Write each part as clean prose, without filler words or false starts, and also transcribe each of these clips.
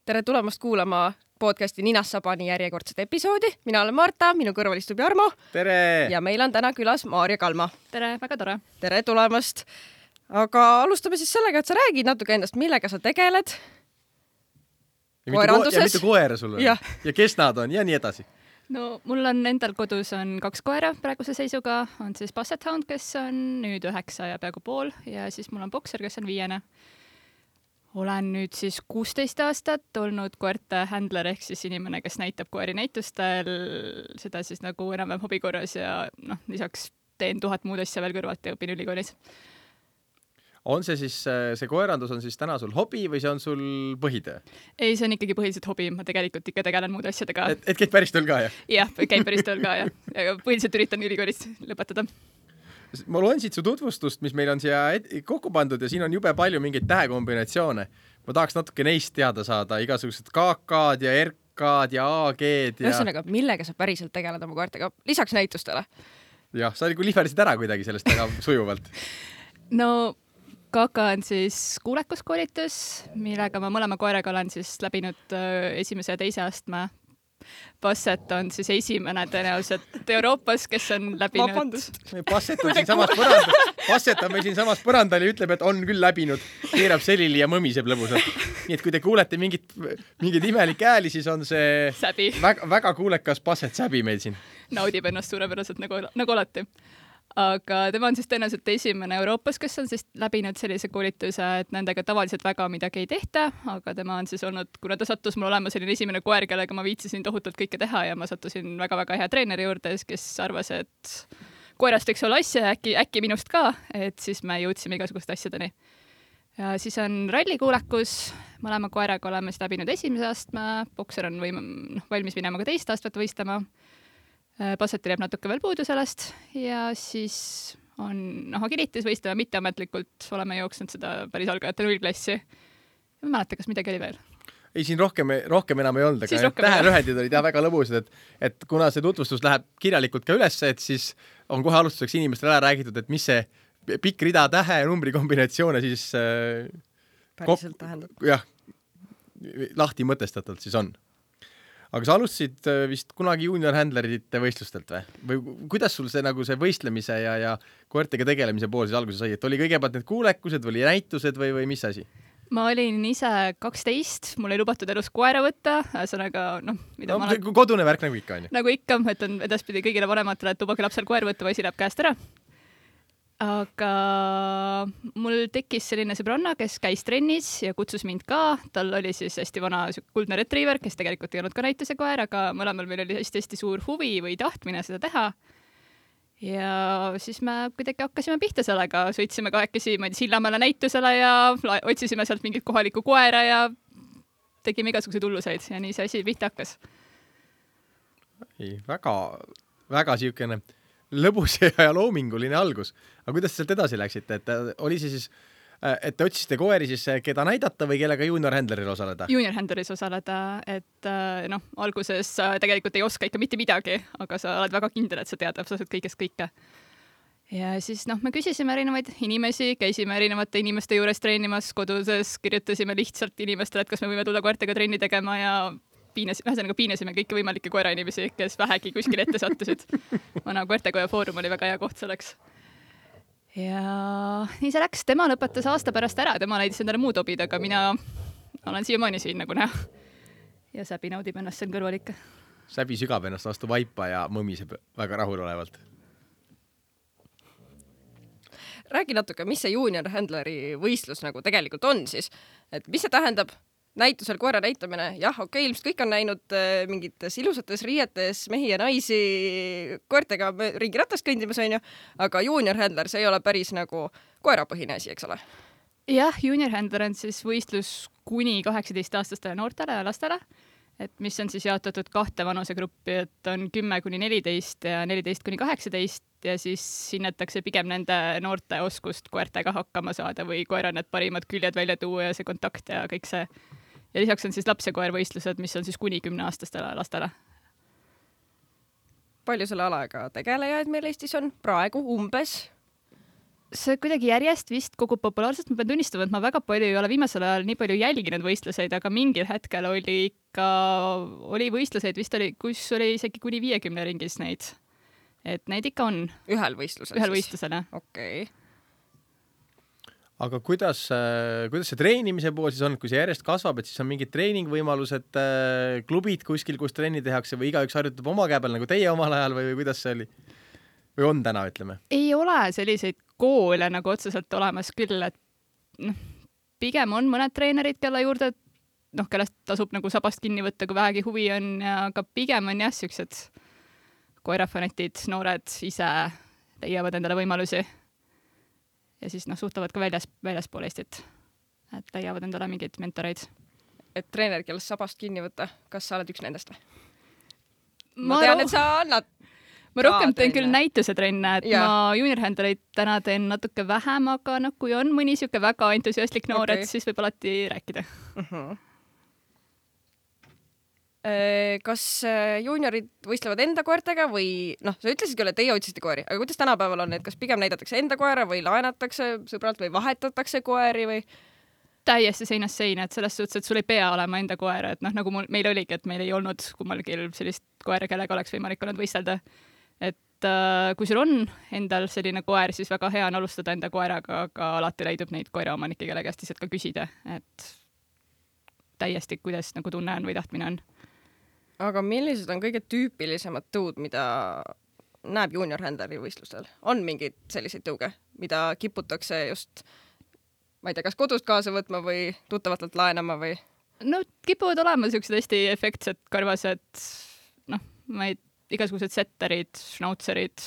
Tere tulemast kuulama podcasti Ninast Sabani järjekordset episoodi. Mina olen Marta, minu kõrval istub Jarmo. Tere! Ja meil on täna külas Maarja Kalma. Tere, väga tore. Tere tulemast. Aga alustame siis sellega, et sa räägid natuke endast, millega sa tegeled. Ja mitu koera sul on. Ja kes nad on ja nii edasi. No mul on endal kodus on 2 koera praeguse seisuga. On siis Basset Hound, kes on nüüd 9 ja peaaegu pool ja siis mul on Boxer, kes on 5. Olen nüüd siis 16 aastat olnud koerte handler ehk siis inimene, kes näitab koeri näitustel, seda siis nagu enam-vähem hobikorras ja lisaks teen 1000 muud asja veel kõrvalt ja õpin ülikoolis. On see siis, see koerandus on siis täna sul hobi või see on sul põhitöö? Ei, see on ikkagi põhiliselt hobi, ma tegelikult ikka tegelen muude asjadega. Et käid päris tööl ka, jah? Jah, käin päris tööl ka, jah. Ja põhiliselt üritan ülikoolis lõpetada. Ma loen siit su tutvustust, mis meil on siia kokku pandud ja siin on jube palju mingeid tähekombinatsioone. Ma tahaks natuke neist teada saada, igasugused KK-d ja RK-d ja AG-d ja... Ühesõnaga, millega sa päriselt tegeled oma koertega? Lisaks näitustele? Jah, sa lihverdasid ära kuidagi sellest väga sujuvalt. No KK on siis kuulekuskoolitus, millega ma mõlema koeraga olen siis läbinud esimese ja teise astme. Basset on siis esimene tõenäoliselt Euroopas, kes on läbinud... Basset on meil siin samas põrandal ja ütleb, et on küll läbinud. Keerab selili ja mõmiseb lõbusalt. Nii et kui te kuulete mingid imelik ääli, siis on see väga kuulekas Basset säbi meil siin. Naudib ennast suurepäraselt nagu alati. Aga tema on siis tõenäoliselt esimene Euroopas, kes on siis läbinud sellise koolituse, et nendega tavaliselt väga midagi ei tehta, aga tema on siis olnud, kuna ta sattus mul olema selline esimene koer, kellega ma viitsisin tohutult kõike teha ja ma sattusin väga-väga hea treeneri juurde, kes arvas, et koerast võiks olla asja ja äkki minust ka, et siis me jõudsime igasuguste asjadeni. Ja siis on rallikuulekus, mõlema koeraga oleme siis läbinud esimese astme, Boxer on valmis minema ka teist astmet võistlema. Bassetil jääb natuke veel puudu sellest ja siis on agilitis võistlema mitteametlikult, oleme jooksnud seda päris algajate 0 klassi. Ma mäleta, kas midagi oli veel? Ei, siin rohkem enam ei olnud, aga tähelühendid olid väga lõbusad, et kuna see tutvustus läheb kirjalikult ka üles, et siis on kohe alustuseks inimestele ära räägitud, et mis see pikk rida tähe ja numbri kombinatsioone siis päriselt tähendab. Jah, lahti mõtestatult siis on. Aga sa alustasid vist kunagi junior handlerite võistlustelt või kuidas sul see, nagu see võistlemise ja koertega tegelemise pool siis alguses sai, et oli kõigepealt need kuulekused või näitused või mis asi? Ma olin ise 12, mul ei lubatud elus koera võtta, ühesõnaga kodune värk nagu ikka on ju. Nagu ikka, ütlen edaspidi kõigile vanematele, et lubage lapsel koer võtta või asi läheb käest ära. Aga mul tekkis selline sõbranna, kes käis trennis ja kutsus mind ka. Tal oli siis hästi vana kuldne retriever, kes tegelikult ei olnud ka näituse koer, aga mõlemal meil oli hästi suur huvi või tahtmine seda teha. Ja siis me kuidagi hakkasime pihta sellega. Sõitsime kahekesi Sillamäele näitusele ja otsisime sealt mingit kohalikku koera ja tegime igasuguseid hulluseid ja nii see asi pihta hakkas. Väga siukene lõbus ja loominguline algus. Aga kuidas sealt edasi läksite? Et oli see siis, et te otsisite koeri siis keda näidata või kellega junior handleril osaleda? Junior handleris osaleda, et alguses sa tegelikult ei oska ikka mitte midagi, aga sa oled väga kindel, et sa tead absoluutselt kõigest kõike. Ja siis me küsisime erinevaid inimesi, käisime erinevate inimeste juures treenimas, koduses kirjutasime lihtsalt inimestele, et kas me võime tulla koertega trenni tegema ja piinasime kõiki võimalikke koerainimesi, kes vähegi kuskil ette sattusid. Vana koertekoja foorum oli väga hea koht selleks. Ja nii see läks. Tema lõpetas aasta pärast ära. Tema leidis endale muud hobid, aga mina olen siiamaani siin nagu näha. Ja Säbi naudib ennast siin kõrval ikka. Säbi sügab ennast vastu vaipa ja mõmiseb väga rahulolevalt. Räägi natuke, mis see junior handleri võistlus nagu tegelikult on siis? Et mis see tähendab? Näitusel koera näitamine, jah, okei, ilmselt kõik on näinud mingites ilusates riietes mehi ja naisi koertega ringi ratast kõndimas, on ju, aga junior handler, see ei ole päris nagu koerapõhine asi, eks ole? Jah, junior handler on siis võistlus kuni 18-aastastele noortele ja lastele, et mis on siis jaotatud 2 vanusegruppi, et on 10-14 ja 14-18 ja siis hinnatakse pigem nende noorte oskust koertega hakkama saada või koera need parimad küljed välja tuua ja see kontakt ja kõik see. Ja lisaks on siis laps- ja koervõistlused, mis on siis kuni 10-aastastele lastele. Palju selle alaga tegelejaid meil Eestis on praegu umbes? see kuidagi järjest vist kogub populaarsust, ma pean tunnistama, et ma väga palju ei ole viimasel ajal nii palju jälginud võistluseid, aga mingil hetkel oli võistluseid, vist oli, kus oli isegi kuni 50 ringis neid. Et neid ikka on. Ühel võistlusel? Ühel võistlusel, jah. Okei. Aga kuidas see treenimise pool siis on, kui see järjest kasvab, et siis on mingid treeningvõimalused, klubid kuskil, kus trenni tehakse või igaüks harjutab oma käe peal, nagu teie omal ajal või kuidas see oli? Või on täna, ütleme? Ei ole selliseid koole nagu otseselt olemas küll, et pigem on mõned treenerid, kelle juurde, kellest tasub nagu sabast kinni võtta, kui vähegi huvi on, aga pigem on jah, siuksed koerafanetid, noored ise leiavad endale võimalusi. Ja siis suhtlevad ka väljaspool Eestit, et leiavad endale mingeid mentoreid. Et treener, kellest sabast kinni võtta, kas sa oled üks nendest või? Ma tean, et sa annad ma rohkem teen küll näituse trenne, et ma juniorhandleid täna teen natuke vähem, aga kui on mõni siuke väga entusiastlik noor, et siis võib alati rääkida. Kas juniorid võistlevad enda koertega või sa ütlesid küll, et teie otsisite koeri, aga kuidas tänapäeval on, et kas pigem näidatakse enda koera või laenatakse sõbralt või vahetatakse koeri või? Täiesti seinast seina, et selles suhtes, et sul ei pea olema enda koera, et nagu meil oligi, et meil ei olnud kummalgi sellist koera, kellega oleks võimalik olnud võistelda. Et kui sul on endal selline koer, siis väga hea on alustada enda koeraga, aga alati leidub neid koeraomanikke, kelle käest lihtsalt ka küsida, et täiesti, kuidas tunne on või tahtmine on. Aga millised on kõige tüüpilisemad tõud, mida näeb junior-handleri võistlustel? On mingeid selliseid tõuge, mida kiputakse just, ma ei tea, kas kodust kaasa võtma või tuttavatelt laenama või? Kipuvad olema sellised hästi efektsed karvased, igasugused setterid, schnautserid,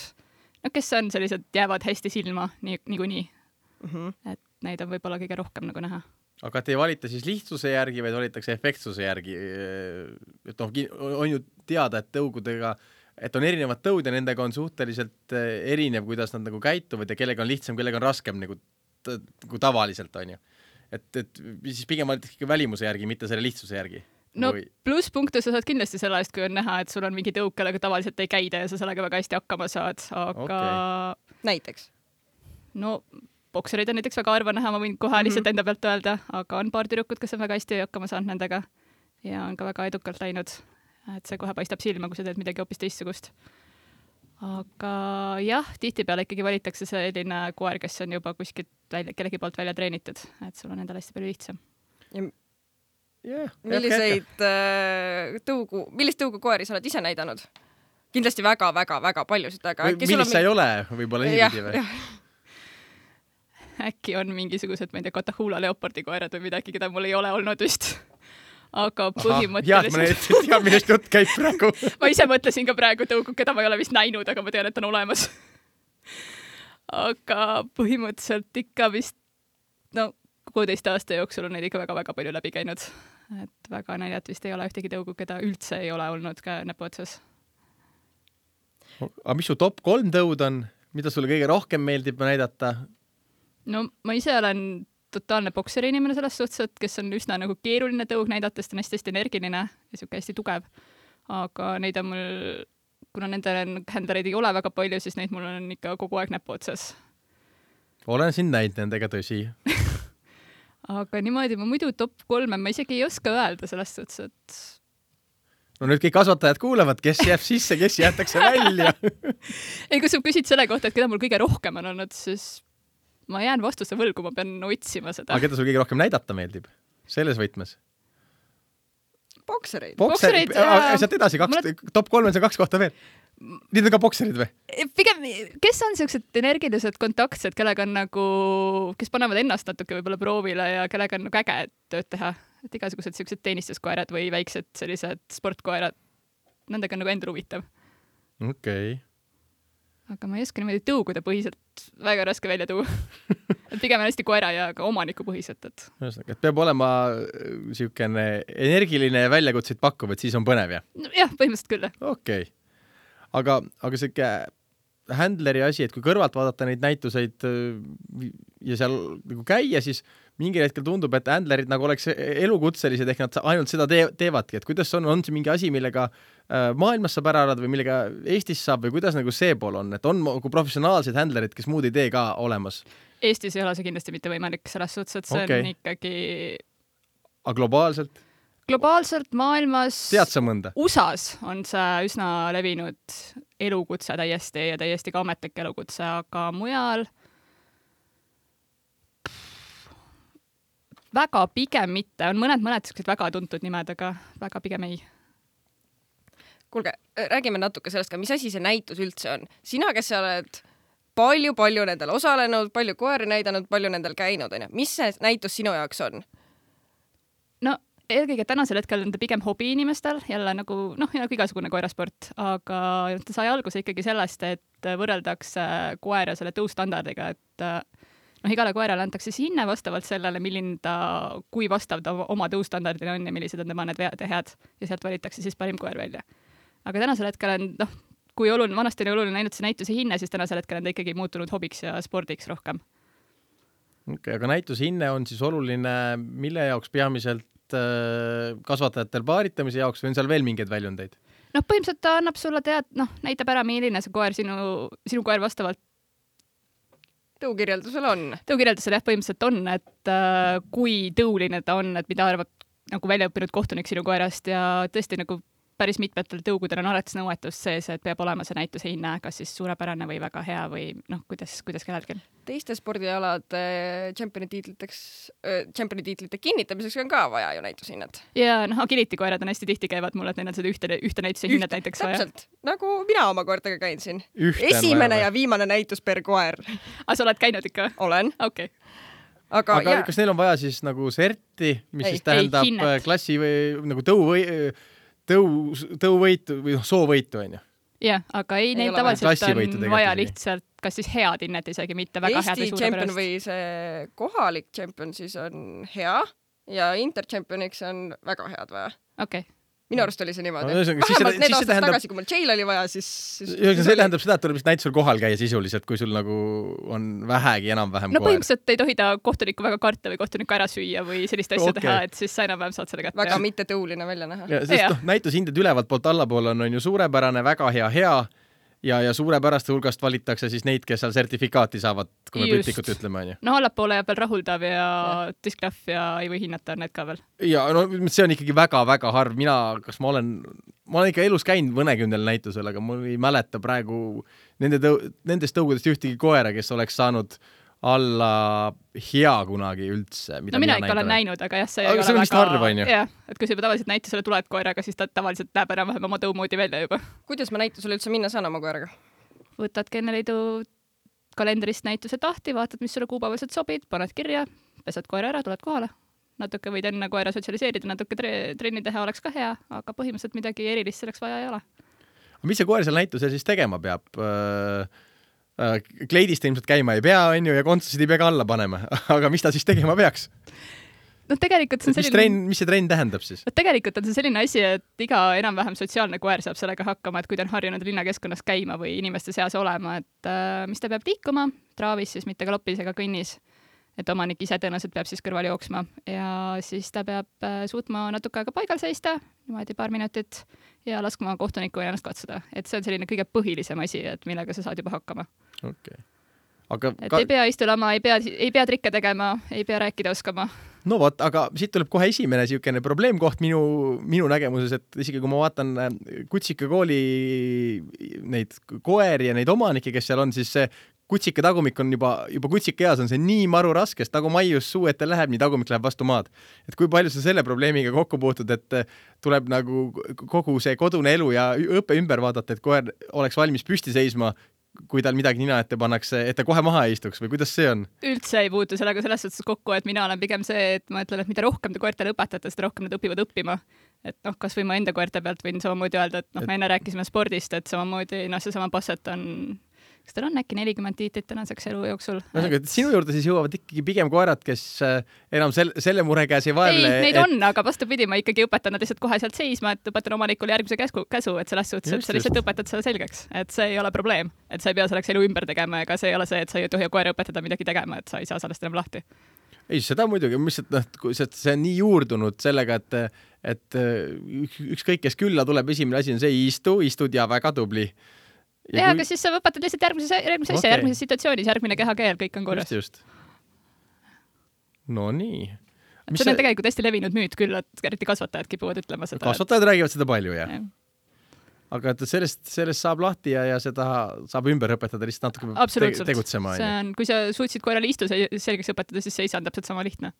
kes on sellised, jäävad hästi silma niikuinii. Et neid on võib-olla kõige rohkem näha. Aga te ei valita siis lihtsuse järgi, vaid valitakse efektsuse järgi. Et on ju teada, et tõugudega, et on erinevad tõud ja nendega on suhteliselt erinev, kuidas nad käituvad ja kellega on lihtsam, kellega on raskem nagu tavaliselt on ju. Et siis pigem valitakse ikka välimuse järgi, mitte selle lihtsuse järgi. Plusspunkte sa saad kindlasti selle eest, kui on näha, et sul on mingi tõuk, kellega tavaliselt ei käida ja sa sellega väga hästi hakkama saad, aga Näiteks? Bokserid on näiteks väga harva näha, ma võin kohe lihtsalt enda pealt öelda, aga on paar tüdrukut, kes on väga hästi hakkama saanud nendega ja on ka väga edukalt läinud, et see kohe paistab silma, kui sa teed midagi hoopis teistsugust. Aga jah, tihtipeale ikkagi valitakse selline koer, kes on juba kuskilt kellegi poolt välja treenitud, et sul on endal hästi palju lihtsam. Millist tõugu koeri sa oled ise näidanud? Kindlasti väga paljusid, aga millist sa ei ole, võib-olla niipidi või? Äkki on mingisugused, ma ei tea, Catahoula leopardi koerad või midagi, keda mul ei ole olnud vist. Aga põhimõtteliselt... ma millest jutt käib praegu. Ma ise mõtlesin ka praegu tõugu, keda ma ei ole vist näinud, aga ma tean, et on olemas. Aga põhimõtteliselt ikka vist 16 aasta jooksul on neid ikka väga palju läbi käinud. Et väga näljat vist ei ole ühtegi tõugu, keda üldse ei ole olnud ka näpu otsas. Aga mis su top 3 tõud on? Mida sulle kõige rohkem meeldib näidata? Ma ise olen totaalne bokseri inimene selles suhtes, et kes on üsna keeruline tõug näidata, sest on hästi energiline ja siuke hästi tugev. Aga neid on mul, kuna nende handlereid ei ole väga palju, siis neid mul on ikka kogu aeg näpu otsas. Olen sind näinud nendega, tõsi. Aga niimoodi ma muidu top 3 ma isegi ei oska öelda selles suhtes, et... nüüd kõik kasvatajad kuulevad, kes jääb sisse, kes jäetakse välja. Ei, kui sa küsid selle kohta, et keda mul kõige rohkem on olnud, siis ma jään vastuse võlgu, ma pean otsima seda. Aga keda sul kõige rohkem näidata meeldib? Selles võtmes? Boksereid. Sealt edasi, top 3 on see 2 kohta veel. Need on ka bokserid või? Pigem, kes on sellised energilised kontaktsed, kellega on kes panevad ennast natuke võib-olla proovile ja kellega on äge tööd teha. Et igasugused sellised teenistuskoerad või väiksed sellised sportkoerad, nendega on endal huvitav. Okei. Aga ma ei oska niimoodi tõugude põhiselt väga raske välja tuua. Et pigem on hästi koera ja ka omaniku põhiselt. Et peab olema siukene energiline ja väljakutseid pakkuv, et siis on põnev, jah? Jah, põhimõtteliselt küll. Okei. Aga siuke handleri asi, et kui kõrvalt vaadata neid näituseid ja seal käia, siis mingil hetkel tundub, et handlerid nagu oleks elukutselised, ehk nad ainult seda teevadki, et kuidas on see mingi asi, millega maailmas saab ära elada või millega Eestis saab või kuidas nagu see pool on, et on nagu professionaalsed handlerid, kes muud ei tee ka olemas? Eestis ei ole see kindlasti mitte võimalik selles suhtes, et see on ikkagi... Aga globaalselt? Globaalselt maailmas... Tead sa mõnda? USAs on see üsna levinud elukutse täiesti ja täiesti ka ametlik elukutse, aga mujal väga pigem mitte. On mõned väga tuntud nimed, aga väga pigem ei. Kuulge, räägime natuke sellest ka, mis asi see näitus üldse on. Sina, kes sa oled palju nendel osalenud, palju koeri näidanud, palju nendel käinud, on. Mis see näitus sinu jaoks on? No, eelkõige tänasel hetkel on ta pigem hobi inimestel, jälle nagu, nagu igasugune koerasport, aga ta sai alguse ikkagi sellest, et võrreldakse koera selle tõustandardiga, et igale koerale antakse hinne vastavalt sellele, kui vastav ta oma tõustandardile on ja millised on tema need vead ja head ja sealt valitakse siis parim koer välja. Aga tänasel hetkel on, kui vanasti oli oluline ainult see näituse hinne, siis tänasel hetkel on ta ikkagi muutunud hobiks ja spordiks rohkem. Okay, aga näituse hinne on siis oluline, mille jaoks peamiselt kasvatajatel paaritamise jaoks või on seal veel mingeid väljundeid? Põhimõtteliselt ta annab sulle näitab ära, milline see koer sinu koer vastavalt tõukirjeldusel on. Tõukirjeldusel põhimõtteliselt on, et kui tõuline ta on, et mida arvab nagu väljaõppinud kohtunik sinu koerast ja tõesti nagu päris mitmetel tõugudel on alati nõuetust sees, et peab olema see näituse hinne, kas siis suurepärane või väga hea või kuidas kellelgi. Teiste spordialade tšempioni-tiitlite kinnitamiseks on ka vaja ju näitushinnet. Ja agility koerad on hästi tihti käivad mulle, et neil on seda ühte näituse hinnet näiteks vaja. Täpselt, nagu mina oma koertega käin siin. Esimene ja viimane näitus per koer. Aga sa oled käinud ikka? Olen. Okay. Aga kas neil on vaja siis nagu serti, mis siis tähendab klassi või nagu tõuvõitu või soovõitu, on ju? Jah, aga neil tavaliselt on vaja lihtsalt kas siis head hinnet isegi, mitte väga head või Eesti tšempion või see kohalik tšempion siis on hea ja intertšempioniks on väga head vaja. Okay. Minu arust oli see niimoodi. Vähemalt need aastad tagasi, kui mul Jail oli vaja, siis see tähendab seda, et tuleb näitusel kohal käia sisuliselt, kui sul nagu on vähegi enam-vähem koer. Põhimõtteliselt ei tohi ta kohtunikku väga karta või kohtunikku ära süüa või sellist asja teha, et siis sa enam-vähem saad selle kätte. Väga mitte tõuline välja näha. Sest näitushinded ülevalt poolt allapoole on ju suurepärane, väga hea ja suurepäraste hulgast valitakse siis neid, kes seal sertifikaati saavad, kui me piltlikult ütleme, on ju. Allapoole jääb veel rahuldav ja discgraph ja ei või hinnata need ka veel. Ja see on ikkagi väga-väga harv. Ma olen ikka elus käinud mõnekümnel näitusel, aga mul ei mäleta praegu nendest tõugudest ühtegi koera, kes oleks saanud alla hea kunagi üldse. Mina ikka olen näinud, aga jah, see ei ole väga... Aga harv, on ju? Jah, et kui sa juba tavaliselt näitusele tuled koeraga, siis ta tavaliselt näeb enam-vähem oma tõumoodi välja juba. Kuidas ma näitusele üldse minna saan oma koeraga? Võtad Kenneliidu kalendrist näituse tahti, vaatad, mis sulle kuupäevaselt sobid, paned kirja, pesad koera ära, tuled kohale. Natuke võid enne koera sotsialiseerida, natuke trenni teha oleks ka hea, aga põhimõtteliselt midagi erilist selleks vaja ei ole. Mis see koer seal näitusel siis tegema peab? Kleidist ilmselt käima ei pea, on ju, ja kontsasid ei pea ka alla panema. Aga mis ta siis tegema peaks? Tegelikult see on selline... Mis see trenn tähendab siis? Tegelikult on see selline asi, et iga enam-vähem sotsiaalne koer saab sellega hakkama, et kui ta on harjunud linnakeskkonnas käima või inimeste seas olema, et mis ta peab liikuma, traavis siis mitte galopis ega kõnnis, et omanik ise tõenäoliselt peab siis kõrval jooksma ja siis ta peab suutma natuke aega paigal seista, niimoodi paar minutit ja laskma kohtunikku ennast katsuda. Et see on selline kõige põhilisem asi, et millega sa saad juba hakkama. Okay. Ei pea istulama, ei pea trikke tegema, ei pea rääkida oskama. No vot, aga siit tuleb kohe esimene siukene probleemkoht minu nägemuses, et isegi kui ma vaatan Kutsika kooli neid koeri ja neid omanikke, kes seal on, siis see Kutsika tagumik on juba Kutsika eas on see nii maru raske, sest nagu maius suu ette läheb, nii tagumik läheb vastu maad. Et kui palju sa selle probleemiga kokku puutud, et tuleb nagu kogu see kodune elu ja õppe ümber vaadata, et koer oleks valmis püsti seisma, kui tal midagi nina ette pannakse, et ta kohe maha ei istuks või kuidas see on? Üldse ei puutu sellega selles suhtes kokku, et mina olen pigem see, et ma ütlen, et mida rohkem te koertele õpetate, seda rohkem nad õpivad õppima. Et kas või ma enda koerte pealt võin samamoodi öelda, et me enne rääkisime spordist, et samamoodi seesama Basset on... Kas tal on äkki 40 tiitlit tänaseks elu jooksul? Sinu juurde siis jõuavad ikkagi pigem koerad, kes enam selle mure käes ei vaevle. Ei, neid on, aga vastupidi, ma ikkagi õpetan nad lihtsalt kohe sealt seisma, et õpetan omanikule järgmise käsu, et selles suhtes, et sa lihtsalt õpetad selle selgeks. Et see ei ole probleem, et sa ei pea selleks elu ümber tegema, ega see ei ole see, et sa ei tohi koera õpetada midagi tegema, et sa ei saa sellest enam lahti. ei, seda muidugi, mis see on nii juurdunud sellega, et ükskõik, kes külla tuleb, esimene asi on see istud ja väga tubli. Aga siis sa õpetad lihtsalt järgmises situatsioonis, järgmine kehakeel, kõik on korras. Just. No nii. See on tegelikult hästi levinud müüt küll, et eriti kasvatajad kipuvad ütlema seda. Kasvatajad räägivad seda palju, jah. Aga et sellest saab lahti ja seda saab ümber õpetada lihtsalt natuke tegutsema. See on, kui sa suutsid koerale istu selgeks õpetada, siis see ei saa täpselt sama lihtne.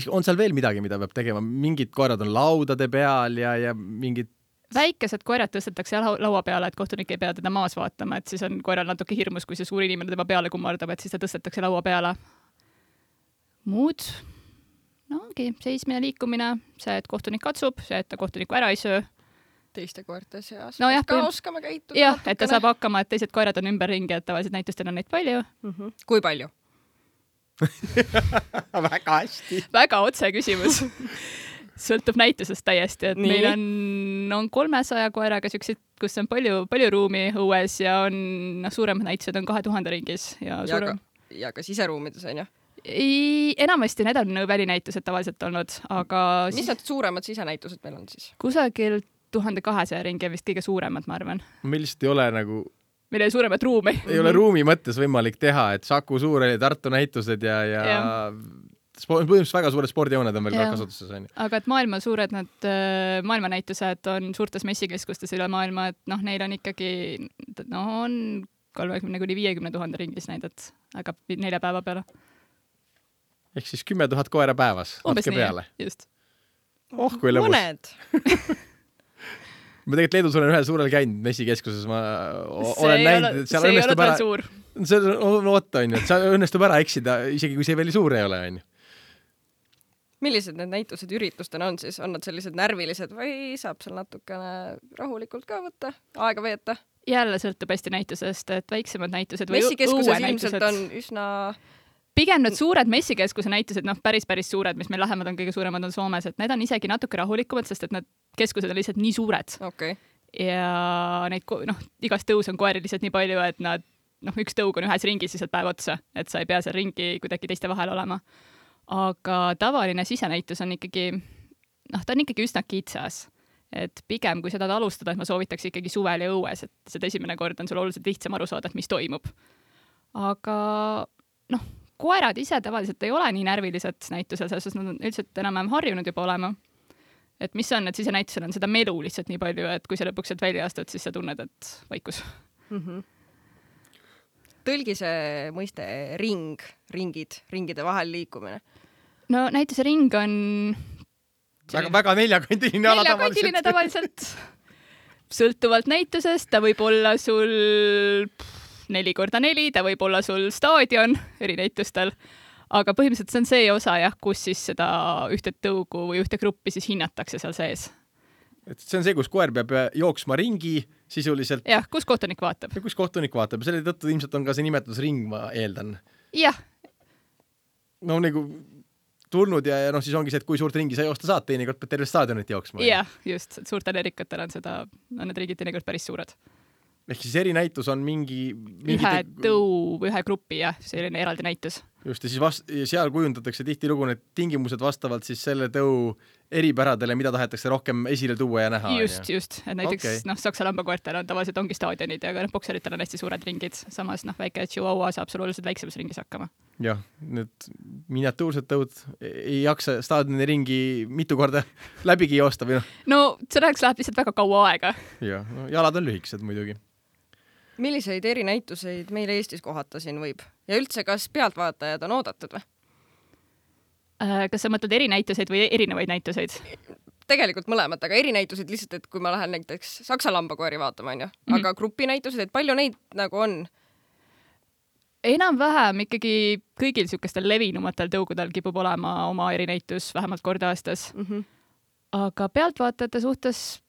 On seal veel midagi, mida peab tegema? Mingid koerad on laudade peal ja mingid väikesed koerad tõstetakse laua peale, et kohtunik ei pea teda maas vaatama, et siis on koeral natuke hirmus, kui see suur inimene tema peale kummardab, et siis ta tõstetakse laua peale. Muud, no ongi seismine, liikumine, see, et kohtunik katsub, see, et ta kohtunikku ära ei söö. Teiste koerte seas. No ka oskama käituda. Jah, et ta saab hakkama, et teised koerad on ümberringi, et tavaliselt näitustel on neid palju. Kui palju? Väga hästi. Väga otse küsimus. Sõltub näitusest täiesti, et meil on 300 koeraga siukseid, kus on palju ruumi õues ja on suuremad näitused on 2000 ringis. Ja ka siseruumides on, jah? Enamasti need on välinäitused tavaliselt olnud, aga... Mis need suuremad sisenäitused meil on siis? Kusagil 1200 ringi vist kõige suuremad, ma arvan. Meil lihtsalt ei ole nagu... Meil ei ole suuremat ruumi. Ei ole ruumi mõttes võimalik teha, et Saku Suur oli Tartu näitused ja põhimõtteliselt väga suured spordijooned on veel ka kasutuses. Aga et maailmanäitused on suurtes messikeskustes üle maailma, et neil on ikkagi on 30–50 000 ringis näidet, aga 4 päeva peale. Ehk siis 10 000 koera päevas. Umbes nii, peale. Just. Kui lõbus. Mõned. Ma tegelikult Leedus olen ühel suurel käinud messikeskuses, ma olen näinud, et seal õnnestub ära... See on oota, on ju, et seal õnnestub ära eksida, isegi kui see veel suur ei ole, on ju. Millised need näitused üritustena on siis? On nad sellised närvilised või saab seal natukene rahulikult ka võtta, aega veeta? Jälle sõltub hästi näitusest, et väiksemad näitused või messikeskuses ilmselt on üsna... Pigem need suured messikeskuse näitused, päris suured, mis meil lähemad on, kõige suuremad on Soomes, et need on isegi natuke rahulikumad, sest et need keskused on lihtsalt nii suured. Okay. Ja neid, igas tõus on koeri lihtsalt nii palju, et nad, üks tõug on ühes ringis lihtsalt päev otsa, et sa ei pea seal ringi kuidagi teiste vahel olema. Aga tavaline sisenäitus on ikkagi, ta on ikkagi üsna kitsas. Et pigem, kui seda alustada, et ma soovitaks ikkagi suvel ja õues, et seda esimene kord on sul oluliselt lihtsam aru saada, et mis toimub. Aga, koerad ise tavaliselt ei ole nii närvilised näitusel, sest nad on üldiselt enam harjunud juba olema. Et mis on, et sisenäitusel on seda melu lihtsalt nii palju, et kui sa lõpuks sealt välja astud, siis sa tunned, et vaikus. Tõlgi see mõiste ringide vahel liikumine. No näituse ring on... Väga neljakandiline ala tavaliselt. Sõltuvalt näitusest, ta võib olla sul 4x4, ta võib olla sul staadion eri näitustel, aga põhimõtteliselt see on see osa, kus siis seda ühte tõugu või ühte gruppi siis hinnatakse seal sees. Et see on see, kus koer peab jooksma ringi sisuliselt. Jah, kus kohtunik vaatab. Ja kus kohtunik vaatab. Selle tõttu ilmselt on ka see nimetus ring, ma eeldan. Jah. No nagu tulnud ja siis ongi see, et kui suurt ringi sa joosta saad, teinekord pead terve staadionit jooksma. Jah, just. Suurtel erikatel on need riigid teinekord päris suured. Ehk siis erinäitus on ühe tõu või ühe grupi, selline eraldi näitus. Just, ja siis seal kujundatakse tihtilugu need tingimused vastavalt siis selle tõu eripäradele, mida tahetakse rohkem esile tuua ja näha. Just. Et näiteks Saksa lambakoertel on tavaliselt ongi staadionid ja bokseritel on hästi suured ringid. Samas väike Chihuahua saab sul oluliselt väiksemas ringis hakkama. Jah, need miniatuursed tõud ei jaksa staadioni ringi mitu korda läbigi joosta või No selleks läheb lihtsalt väga kaua aega. Jah, jalad on lühikesed muidugi. Milliseid erinäituseid meil Eestis kohata siin võib? Ja üldse, kas pealtvaatajad on oodatud või? Kas sa mõtled erinäituseid või erinevaid näituseid? Tegelikult mõlemad, aga erinäituseid lihtsalt, et kui ma lähen näiteks Saksa lambakoeri vaatama, aga grupinäitused, et palju neid nagu on? Enam-vähem ikkagi kõigil niisugustel levinumatel tõugudel kipub olema oma erinäitus vähemalt kord aastas. Aga pealtvaatajate suhtes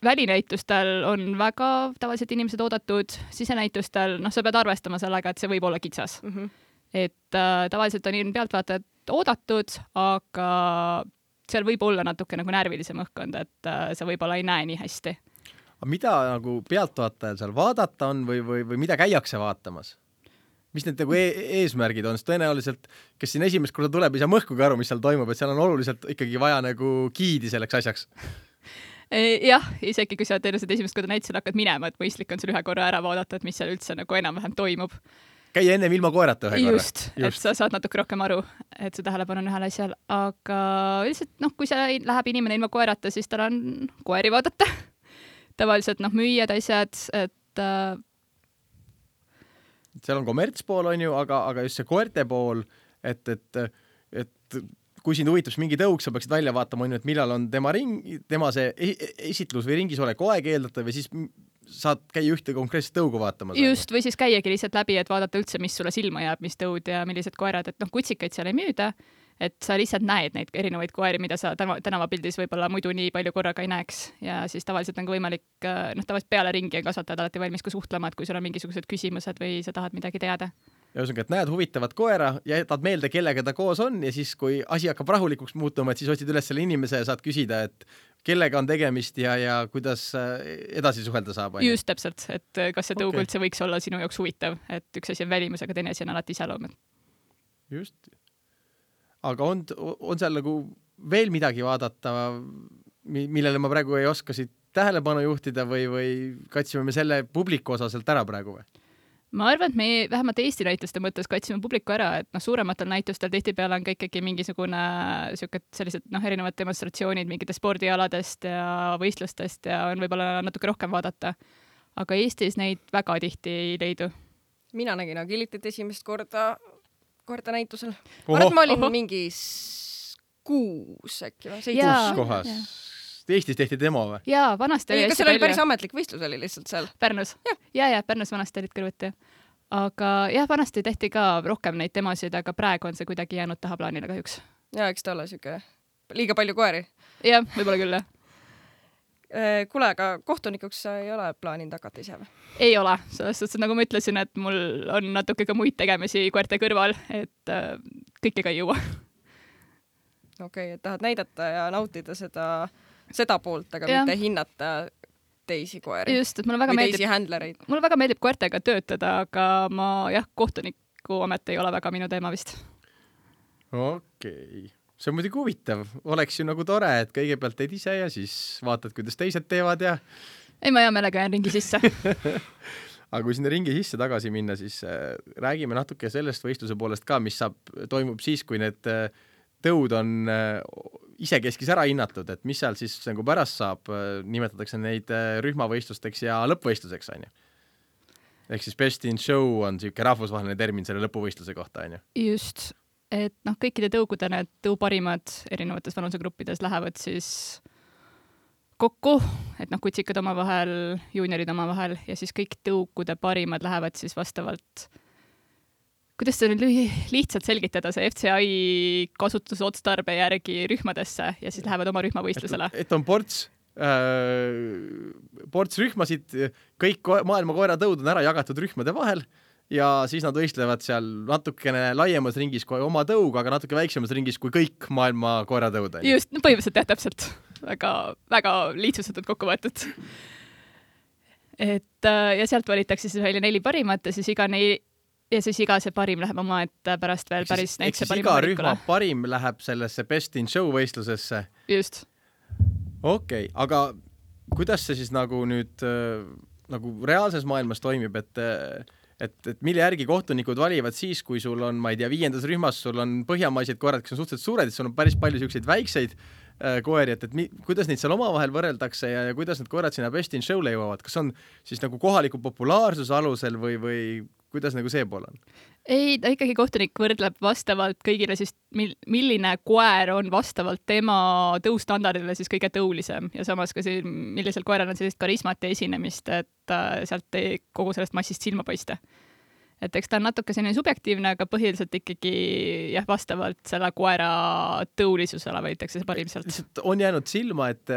välinäitustel on väga tavaliselt inimesed oodatud, sisenäitustel, sa pead arvestama sellega, et see võib olla kitsas. Et tavaliselt on pealtvaatajad oodatud, aga seal võib olla natuke nagu närvilisem õhkkond, et sa võib-olla ei näe nii hästi. Aga mida nagu pealtvaatajal seal vaadata on või mida käiakse vaatamas? mis need nagu eesmärgid on, sest tõenäoliselt, kes siin esimest korda tuleb, ei saa mõhkugi aru, mis seal toimub, et seal on oluliselt ikkagi vaja nagu giidi selleks asjaks. Jah, isegi kui sa tõenäoliselt esimest korda näitusele hakkad minema, et mõistlik on sul ühe korra ära vaadata, et mis seal üldse nagu enam-vähem toimub. Käia ennem ilma koerata ühe korra. Just, et sa saad natuke rohkem aru, et see tähelepanu on ühel asjal, aga lihtsalt kui see läheb inimene ilma koerata, siis tal on koeri vaadata. Tavaliselt müüjad asjad, et seal on kommertspool, on ju, aga just see koerte pool, et kui sind huvitab mingi tõuk, sa peaksid välja vaatama, on ju, et millal on tema see esitlus või ringis olek aeg eeldatav ja siis saad käia ühte konkreetset tõugu vaatamas. Just, või siis käiagi lihtsalt läbi, et vaadata üldse, mis sulle silma jääb, mis tõud ja millised koerad, et kutsikaid seal ei müüda, et sa lihtsalt näed neid erinevaid koeri, mida sa tänavapildis võib-olla muidu nii palju korraga ei näeks ja siis tavaliselt on ka võimalik, tavaliselt peale ringi on kasvatajad alati valmis ka suhtlema, et kui sul on mingisugused küsimused või sa tahad midagi teada. Ja ühesõnaga, et näed huvitavat koera ja jätad meelde, kellega ta koos on ja siis, kui asi hakkab rahulikuks muutuma, et siis otsid üles selle inimese ja saad küsida, et kellega on tegemist ja kuidas edasi suhelda saab. Just täpselt, et kas see tõug üldse võiks olla sinu jaoks huvitav, et üks asi on välimus, aga teine asi on alati iseloom. Just. Aga on seal nagu veel midagi vaadata, millele ma praegu ei oska siit tähelepanu juhtida või katsime me selle publiku osa sealt ära praegu või? Ma arvan, et me vähemalt Eesti näituste mõttes katsime publiku ära, et suurematel näitustel tihtipeale on ka ikkagi mingisugune sellised erinevad demonstratsioonid mingitest spordialadest ja võistlustest ja on võib-olla natuke rohkem vaadata. Aga Eestis neid väga tihti ei leidu. Mina nägin Agilitit esimest korda näitusel. Ma olin mingi 6 äkki või 7 kohas. Eestis tehti demo või? Jaa, vanasti oli hästi palju. Kas oli päris ametlik võistlus oli lihtsalt seal? Pärnus. Ja, Pärnus vanasti olid kõrvuti. Aga jah, vanasti tehti ka rohkem neid demosid, aga praegu on see kuidagi jäänud tahaplaanile kahjuks. Ja, eks ta ole siuke liiga palju koeri. Jah, võib-olla küll, jah. Kuule, aga kohtunikuks sa ei ole plaaninud hakata ise või? Ei ole, selles suhtes, nagu ma ütlesin, et mul on natuke ka muid tegemisi koerte kõrval, et kõike ka ei jõua. Okei, et tahad näidata ja nautida seda poolt, aga mitte hinnata teisi koeri. Just, et mulle väga meeldib koertega töötada, aga ma kohtuniku amet ei ole väga minu teema vist. Okei. See on muidugi huvitav. Oleks ju nagu tore, et kõigepealt teed ise ja siis vaatad, kuidas teised teevad ja... Ei, ma hea meelega jään ringi sisse. Aga kui sinna ringi sisse tagasi minna, siis räägime natuke sellest võistluse poolest ka, mis toimub siis, kui need tõud on isekeskis ära hinnatud, et mis seal siis nagu pärast saab, nimetatakse neid rühmavõistlusteks ja lõppvõistluseks, on ju. Ehk siis best in show on siuke rahvusvaheline termin selle lõppuvõistluse kohta, on ju. Just, et kõikide tõugude need tõuparimad erinevates vanusegruppides lähevad siis kokku, et kutsikad omavahel, juuniorid omavahel ja siis kõik tõugude parimad lähevad siis vastavalt. Kuidas see nüüd lihtsalt selgitada, see FCI kasutusotstarbe järgi rühmadesse ja siis lähevad oma rühmavõistlusele? Et on ports rühmasid, kõik maailma koeratõud on ära jagatud rühmade vahel ja siis nad võistlevad seal natukene laiemas ringis kui oma tõug, aga natuke väiksemas ringis kui kõik maailma koeratõud. Just, põhimõtteliselt jah, täpselt. Väga lihtsustatud kokku võetud. Et, ja sealt valitakse siis välja 4 parimat ja siis iga see parim läheb oma, et pärast veel päris näitse parim iga rühma parim läheb sellesse best in show võistlusesse. Just. Okei, aga kuidas see siis nagu nüüd nagu reaalses maailmas toimib, et mille järgi kohtunikud valivad siis, kui sul on, ma ei tea, 5. rühmas sul on põhjamaised koerad, kes on suhteliselt suured, sul on päris palju selliseid väikseid koeri, et kuidas neid seal omavahel võrreldakse ja kuidas need koerad sinna best in show'le jõuavad? Kas on siis nagu kohaliku populaarsuse alusel või kuidas nagu see pool on? Ei, ta ikkagi kohtunik võrdleb vastavalt kõigile siis, milline koer on vastavalt tema tõustandardile siis kõige tõulisem ja samas ka see, millisel koeral on sellist karismat ja esinemist, et sealt ei kogu sellest massist silma paista. Et eks ta on natuke selline subjektiivne, aga põhiliselt ikkagi vastavalt selle koera tõulisusele võitakse see parim sealt. Lihtsalt on jäänud silma, et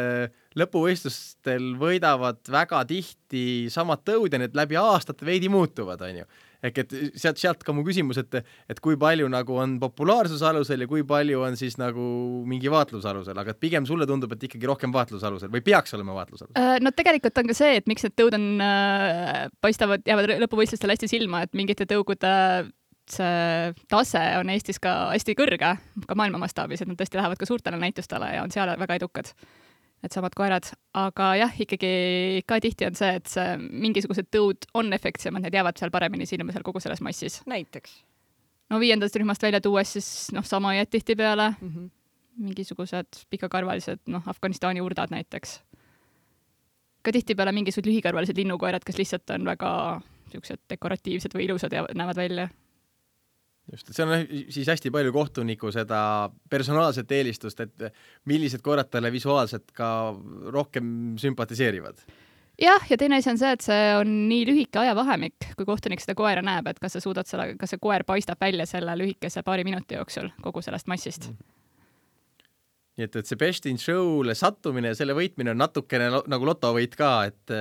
lõpuvõistlustel võidavad väga tihti samad tõud ja need läbi aastate veidi muutuvad, on ju. ehk et sealt ka mu küsimus, et kui palju nagu on populaarsuse alusel ja kui palju on siis nagu mingi vaatlusalusel, aga et pigem sulle tundub, et ikkagi rohkem vaatlusalusel või peaks olema vaatlusalusel? No tegelikult on ka see, et miks need tõud on, jäävad lõpuvõistlustel hästi silma, et mingite tõugude see tase on Eestis ka hästi kõrge, ka maailma mastaabis, et nad tõesti lähevad ka suurtele näitustele ja on seal väga edukad. Et samad koerad, aga jah, ikkagi ka tihti on see, et see mingisugused tõud on efektsemad, need jäävad seal paremini silma seal kogu selles massis. Näiteks? No 5. rühmast välja tuues siis sama jääd tihti peale, mingisugused pikakarvalised, Afganistani urdad näiteks. Ka tihti peale mingisugused lühikarvalised linnukoerad, kes lihtsalt on väga siuksed dekoratiivsed või ilusad ja näevad välja. Just, et see on siis hästi palju kohtuniku seda personaalset eelistust, et millised koerad talle visuaalselt ka rohkem sümpatiseerivad. Jah, ja teine asi on see, et see on nii lühike ajavahemik, kui kohtunik seda koera näeb, et kas see koer paistab välja selle lühikese paari minuti jooksul kogu sellest massist. Nii et see Best in Show'le sattumine ja selle võitmine on natukene nagu lotovõit ka, et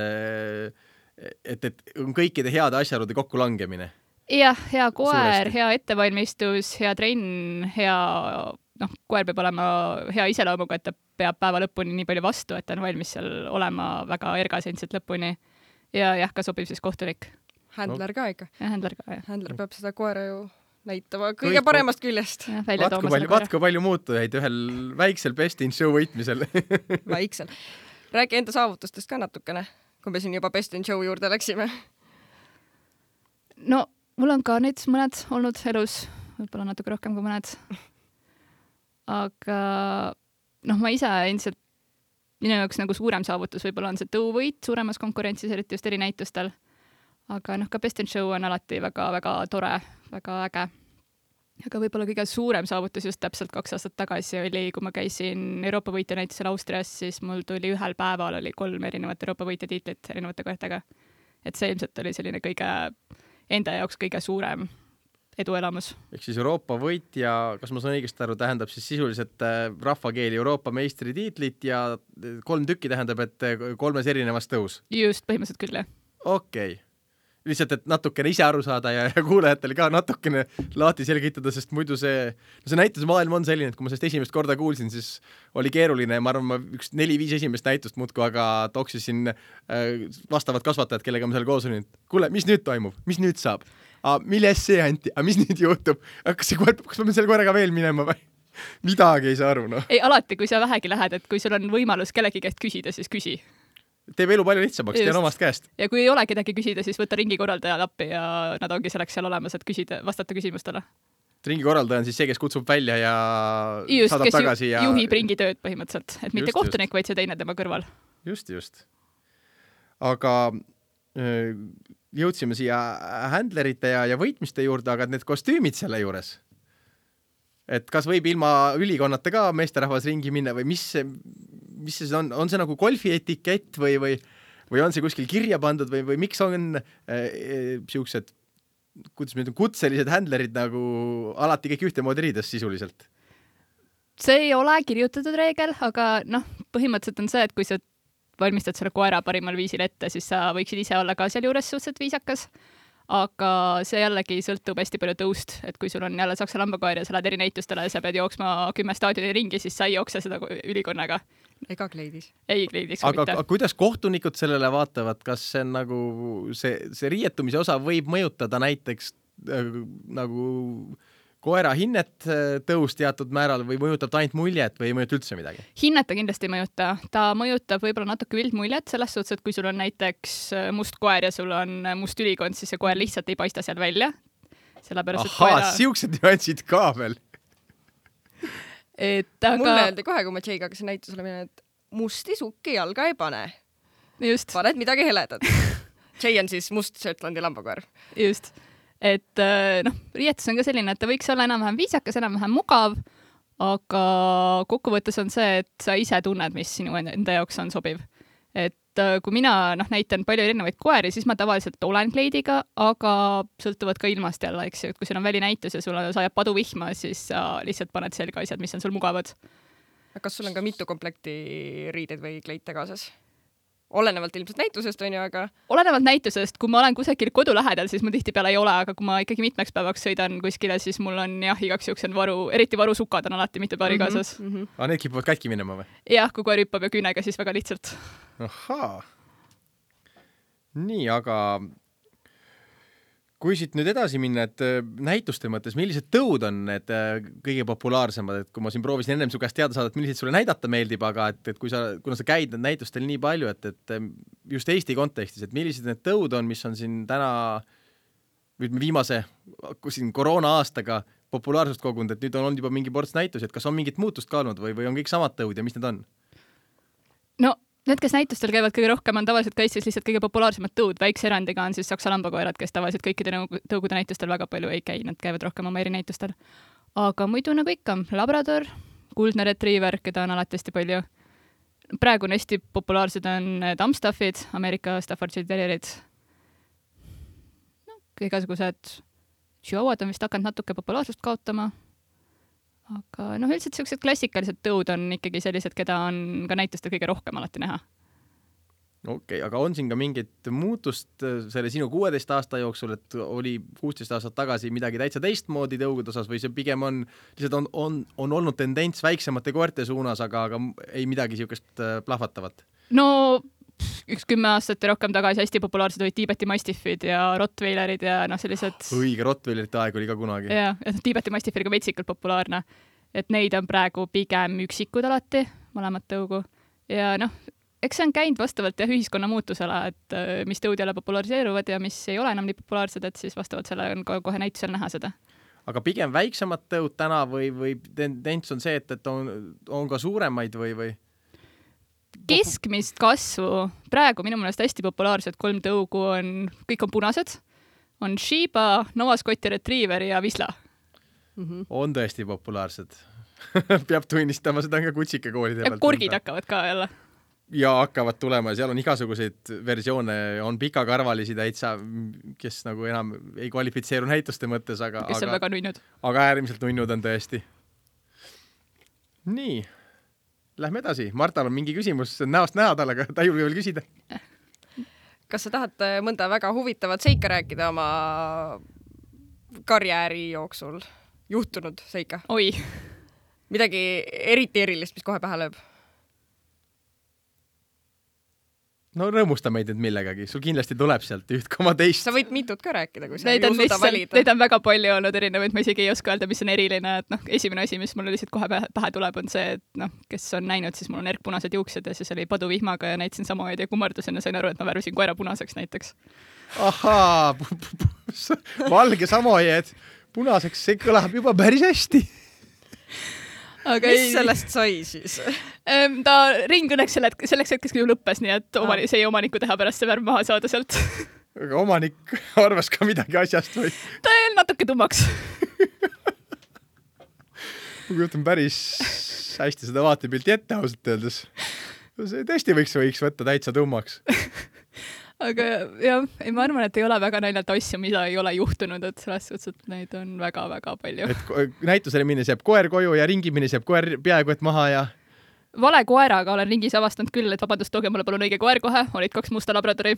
on kõikide heade asjaolude kokkulangemine. Jah, hea koer, hea ettevalmistus, hea trenn, koer peab olema hea iseloomuga, et ta peab päeva lõpuni nii palju vastu, et ta on valmis seal olema väga ergasendselt lõpuni. Ja jah, ka sobib siis kohtunik. Händler ka ikka. Ja händler ka, jah. Händler peab seda koera ju näitama kõige paremast küljest. Vatku palju muutujaid ühel väiksel Best in Show võitmisel. Väiksel. Räägi enda saavutustest ka natukene, kui me siin juba Best in Show juurde läksime. No, mul on ka neid mõned olnud elus, võib-olla natuke rohkem kui mõned. Aga ma ise endiselt, minu jaoks nagu suurem saavutus võib-olla on see tõuvõit suuremas konkurentsis, eriti just eri näitustel. Aga ka Best in Show on alati väga-väga tore, väga äge. Aga võib-olla kõige suurem saavutus just täpselt 2 aastat tagasi oli, kui ma käisin Euroopa võitja näitusel Austrias, siis mul tuli ühel päeval oli 3 erinevat Euroopa võitja tiitlit erinevate koertega. Et see ilmselt oli selline enda jaoks kõige suurem eduelamus. Ehk siis Euroopa võitja, kas ma saan õigesti aru, tähendab siis sisuliselt rahvakeeli Euroopa meistritiitlit ja 3 tükki tähendab, et 3 erinevas tõus? Just, põhimõtteliselt küll, jah. Okei. Lihtsalt, et natukene ise aru saada ja kuulajatele ka natukene laati selgitada, sest muidu see näitusmaailm on selline, et kui ma sellest esimest korda kuulsin, siis oli keeruline ja ma arvan, ma 4-5 esimest näitust muudku, aga toksisin vastavad kasvatajad, kellega ma seal koos olin, et kuule, mis nüüd toimub, mis nüüd saab? Milles see anti? Mis nüüd juhtub? Kas ma selle koeraga veel minema või? Midagi ei saa aru, Ei, alati, kui sa vähegi lähed, et kui sul on võimalus kellegi käest küsida, siis küsi. Teeb elu palju lihtsamaks, tean omast käest. Ja kui ei ole kedagi küsida, siis võtta ringikorraldaja lappi ja nad ongi selleks seal olemas, et vastata küsimustele. Ringikorraldaja on siis see, kes kutsub välja ja saadab tagasi. Just, kes juhib ringitööd põhimõtteliselt, et mitte kohtunik, vaid see teine tema kõrval. Just. Aga jõudsime siia händlerite ja võitmiste juurde, aga need kostüümid selle juures. Et kas võib ilma ülikonnata ka meesterahvas ringi minna või mis see on? On see nagu golfi etikett või on see kuskil kirja pandud või miks on siuksed, kuidas me ütleme, kutselised händlerid nagu alati kõik ühtemoodi riides sisuliselt? See ei ole kirjutatud reegel, aga põhimõtteliselt on see, et kui sa valmistad selle koera parimal viisil ette, siis sa võiksid ise olla ka seal juures suhteliselt viisakas. Aga see jällegi sõltub hästi palju tõust, et kui sul on jälle saksa lambakoer ja sa lähed eri näitustele ja sa pead jooksma 10 staadioni ringi, siis sa ei jookse seda ülikonnaga. Ega kleidis. Ei kleidis. Aga kuidas kohtunikud sellele vaatavad? Kas see on nagu see riietumise osa võib mõjutada näiteks nagu koera hinnet tõus teatud määral või mõjutab ta ainult muljet või ei mõjuta üldse midagi? Hinnet ta kindlasti ei mõjuta. Ta mõjutab võib-olla natuke üldmuljet selles suhtes, et kui sul on näiteks must koer ja sul on must ülikond, siis see koer lihtsalt ei paista seal välja. Siuksed nüansid ka veel. Mulle öeldi kohe, kui ma Jay'ga hakkasin näitusele minna, et musti sukki jalga ei pane. Just. Paned midagi heledat. Jay on siis must Shettlandi lambakoer. Just. Et riietus on ka selline, et ta võiks olla enam-vähem viisakas, enam-vähem mugav, aga kokkuvõttes on see, et sa ise tunned, mis sinu enda jaoks on sobiv. Et kui mina näitan palju erinevaid koeri, siis ma tavaliselt olen kleidiga, aga sõltuvad ka ilmast jälle, eks ju, et kui sul on välinäitus ja sul sajab paduvihma, siis sa lihtsalt paned selga asjad, mis on sul mugavad. Kas sul on ka mitu komplekti riideid või kleite kaasas? olenevalt ilmselt näitusest, on ju, aga olenevalt näitusest, kui ma olen kusagil kodu lähedal, siis mul tihtipeale ei ole, aga kui ma ikkagi mitmeks päevaks sõidan kuskile, siis mul on jah, igaks juhuks on eriti varusukad on alati mitu paari kaasas. Aga need kipuvad katki minema või? Jah, kui koer hüppab ja küünega, siis väga lihtsalt. Ahaa. Nii, aga kui siit nüüd edasi minna, et näituste mõttes, millised tõud on need kõige populaarsemad, et kui ma siin proovisin ennem su käest teada saada, et millised sulle näidata meeldib, aga et kuna sa käid näitustel nii palju, et just Eesti kontekstis, et millised need tõud on, mis on siin täna viimase siin koroona aastaga populaarsust kogunud, et nüüd on olnud juba mingi ports näitusi, et kas on mingit muutust ka olnud või on kõik samad tõud ja mis need on? No need, kes näitustel käivad kõige rohkem, on tavaliselt ka Eestis lihtsalt kõige populaarsemad tõud. Väikse erandiga on siis saksa lambakoerad, kes tavaliselt kõikide tõugude näitustel väga palju ei käi, nad käivad rohkem oma erinäitustel. Aga muidu nagu ikka, labrador, kuldne retriiver, keda on alati hästi palju. Praegu on hästi populaarsed on Amstaffid, Ameerika Staffordshire Terrierid. No, igasugused chihuahuad on vist hakanud natuke populaarsust kaotama. Aga üldiselt sellised klassikalised tõud on ikkagi sellised, keda on ka näitustel kõige rohkem alati näha. Okei, aga on siin ka mingit muutust selle sinu 16 aasta jooksul, et oli 16 aastat tagasi midagi täitsa teistmoodi tõugude osas või see pigem on olnud tendents väiksemate koerte suunas, aga ei midagi siukest plahvatavat? No üks 10 aastat ja rohkem tagasi hästi populaarsed olid Tiibeti mastiffid ja rottweilerid ja sellised... Õige, rottweilerite aeg oli ka kunagi. Ja Tiibeti mastiff oli ka vetsikult populaarne. Et neid on praegu pigem üksikud alati, mõlemat tõugu. Ja eks see on käinud vastavalt ühiskonna muutusele, et mis tõud jälle populariseeruvad ja mis ei ole enam nii populaarsed, et siis vastavalt selle on kohe näitusel näha seda. Aga pigem väiksemad tõud täna või tendents on see, et on ka suuremaid või? Keskmist kasvu. Praegu minu meelest hästi populaarsed 3 tõugu on, kõik on punased. On Shiba, Nova Scotti Retriever ja Visla. On tõesti populaarsed. Peab tunnistama, seda on ka kutsike koolide pealt. Ja korgid hakkavad ka jälle. Ja hakkavad tulema ja seal on igasuguseid versioone, on pikakarvalisi täitsa, kes nagu enam ei kvalifitseeru näituste mõttes, kes on väga nunnud. Aga äärmiselt nunnud on tõesti. Nii. Lähme edasi. Martal on mingi küsimus näost näha talle, aga ta ei julge veel küsida. Kas sa tahad mõnda väga huvitavat seika rääkida oma karjääri jooksul? Juhtunud seika? Oi. Midagi eriti erilist, mis kohe pähe lööb? No rõõmusta meid nüüd millegagi. Sul kindlasti tuleb sealt 1,2. Sa võid mitut ka rääkida, kui sa ei usuda valida. Neid on väga palju olnud erinevaid, ma isegi ei oska öelda, mis on eriline. Et esimene asi, mis mulle lihtsalt kohe pähe tuleb, on see, et kes on näinud, siis mul on erkpunased juuksed ja siis oli paduvihmaga ja näitasin samamoodi ja kummardusin ja sain aru, et ma värvisin koera punaseks näiteks. Ahaa, valge samojed punaseks, see kõlab juba päris hästi. Aga mis sellest sai siis? Ta ring õnneks selleks hetkes küll lõppes, nii et see ei omaniku teha pärast see värv maha saada sealt. Aga omanik arvas ka midagi asjast või? Ta jäi natuke tummaks. Ma kujutan päris hästi seda vaatepilti ette ausalt öeldes. See tõesti võiks võtta täitsa tummaks. Aga jah, ma arvan, et ei ole väga naljalt asju, mida ei ole juhtunud, et selles suhtes, et neid on väga-väga palju. Et näitusele minnes jääb koer koju ja ringi minnes jääb koer peaaegu et maha ja... Vale koeraga olen ringis avastanud küll, et vabandust, tooge mulle palun õige koer kohe, olid 2 musta labradori.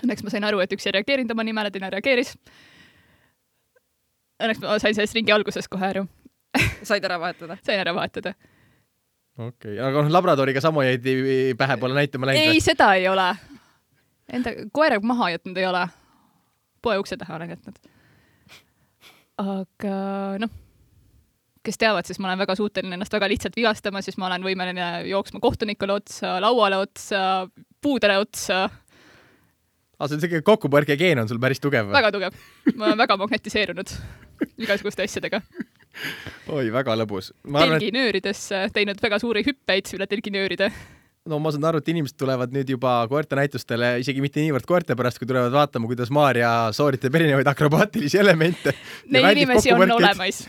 Õnneks ma sain aru, et üks ei reageerinud oma nimele, teine reageeris. Õnneks ma sain sellest ringi alguses kohe aru. Said ära vahetada? Sain ära vahetada. Okei, aga labradoriga sama jäid pähe pole näitama läinud? Ei, seda ei ole. Enda koera maha jätnud ei ole. Poe ukse taha olen jätnud. Aga kes teavad, siis ma olen väga suuteline ennast väga lihtsalt vigastama, siis ma olen võimeline jooksma kohtunikule otsa, lauale otsa, puudele otsa. See kokkupõrke geen on sul päris tugev? Väga tugev. Ma olen väga magnetiseerunud igasuguste asjadega. Oi, väga lõbus. Telginööridesse teinud väga suuri hüppeid üle telginööride. No ma saan aru, et inimesed tulevad nüüd juba koerte näitustele, isegi mitte niivõrd koerte pärast, kui tulevad vaatama, kuidas Maarja sooritab erinevaid akrobaatilisi elemente. Neid inimesi on olemas.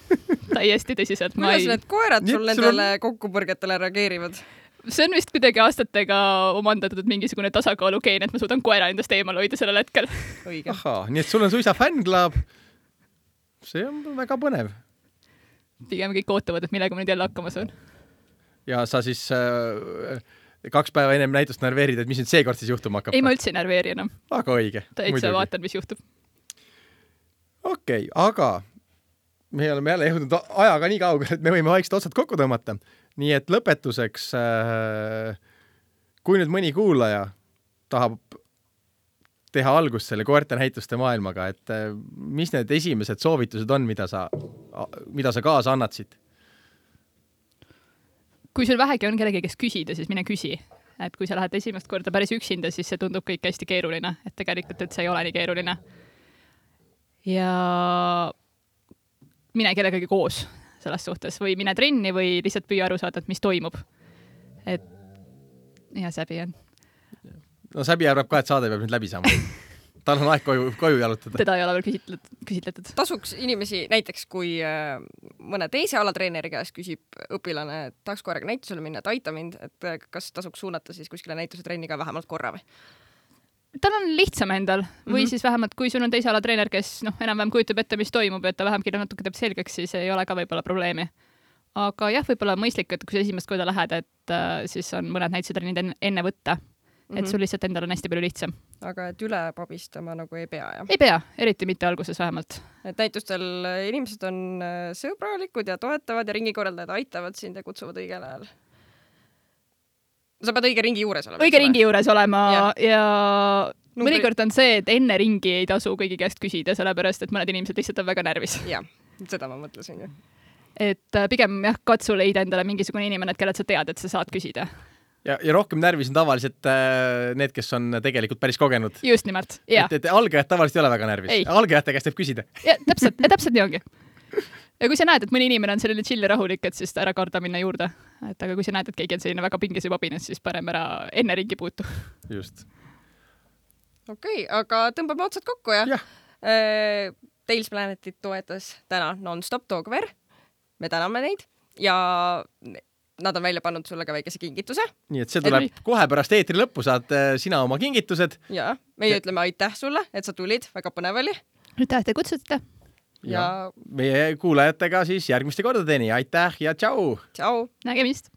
Täiesti tõsiselt. Kuidas need koerad sul nendele kokkupõrgetele reageerivad? See on vist kuidagi aastatega omandatud mingisugune tasakaalukeen, et ma suudan koera endast eemal hoida sellel hetkel. Ahaa, nii et sul on suisa fännklaab. See on väga põnev. Pigem kõik ootavad, et millega ma nüüd jälle hakkama saan. Ja sa siis 2 päeva ennem näitust närveerid, et mis nüüd seekord siis juhtuma hakkab? Ei, ma üldse ei närveeri enam. Väga õige. Täitsa vaatan, mis juhtub. Okei, aga me oleme jälle jõudnud ajaga nii kaugel, et me võime vaikselt otsad kokku tõmmata. Nii et lõpetuseks, kui nüüd mõni kuulaja tahab teha algust selle koerte näituste maailmaga, et mis need esimesed soovitused on, mida sa kaasa annatsid? Kui sul vähegi on kellegi, kes küsida, siis mine küsi. Et kui sa lähed esimest korda päris üksinda, siis see tundub kõik hästi keeruline. Et tegelikult, et see ei ole nii keeruline. Ja mine kellegagi koos selles suhtes või mine trenni või lihtsalt püüa aru saada, et mis toimub. Et ja Säbi on. No Säbi arvab ka, et saade peab nüüd läbi saama. Tal on aeg koju jalutada. Teda ei ole veel küsitletud. Tasuks inimesi, näiteks kui mõne teise alatreeneri käest küsib õpilane, et tahaks koeraga näitusele minna, et aita mind, et kas tasuks suunata siis kuskile näituse trenni ka vähemalt korra või? Tal on lihtsam endal või siis vähemalt, kui sul on teise alatreener, kes enam-vähem kujutab ette, mis toimub, et ta vähemgi natuke teeb selgeks, siis ei ole ka võib-olla probleemi. Aga jah, võib-olla mõistlik, et kui sa esimest korda lähed, et siis on mõned näitusetrennid enne võtta. Et sul lihtsalt endal on hästi palju lihtsam. Aga et üle pabistama nagu ei pea, jah? Ei pea, eriti mitte alguses vähemalt. Et näitustel inimesed on sõbralikud ja toetavad ja ringikorraldajad aitavad sind ja kutsuvad õigel ajal. Sa pead õige ringi juures olema. Õige ringi juures olema ja mõnikord on see, et enne ringi ei tasu kõigi käest küsida, sellepärast, et mõned inimesed lihtsalt on väga närvis. Jah, seda ma mõtlesin. Et pigem katsu leida endale mingisugune inimene, kellelt sa tead, et sa saad küsida. Ja rohkem närvis on tavaliselt need, kes on tegelikult päris kogenud. Just nimelt, jah. Et algajad tavaliselt ei ole väga närvis. Algajate käest võib küsida. Ja, täpselt nii ongi. Ja kui sa näed, et mõni inimene on selline chill ja rahulik, et siis ära karda minna juurde. Et aga kui sa näed, et keegi on selline väga pinges ja pabines, siis parem ära enne ringi puutu. Just. Okei, aga tõmbame otsad kokku ja. Tales Planetit toetas täna Non-Stop Dogware. Me täname neid ja nad on välja pannud sulle ka väikese kingituse. Nii, et see tuleb kohe pärast eetri lõppu, saad sina oma kingitused. Ja, meie ütleme aitäh sulle, et sa tulid, väga põnev oli. Aitäh, te kutsutate. Ja meie kuulajatega siis järgmiste kordadeni. Aitäh ja tšau! Tšau! Nägemist!